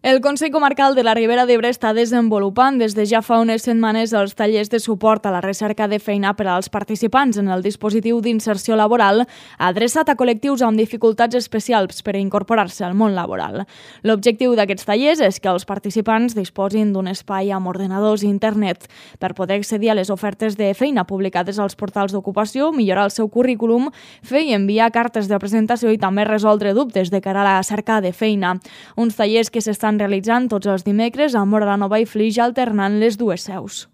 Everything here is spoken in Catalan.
El Consell Comarcal de la Ribera d'Ebre està desenvolupant des de ja fa unes setmanes els tallers de suport a la recerca de feina per als participants en el dispositiu d'inserció laboral adreçat a col·lectius amb dificultats especials per a incorporar-se al món laboral. L'objectiu d'aquests tallers és que els participants disposin d'un espai amb ordenadors i internet per poder accedir a les ofertes de feina publicades als portals d'ocupació, millorar el seu currículum, fer i enviar cartes de presentació i també resoldre dubtes de cara a la cerca de feina. Uns tallers que s'estan realitzant tots els dimecres a Móra la Nova i Flix, alternant les dues seus.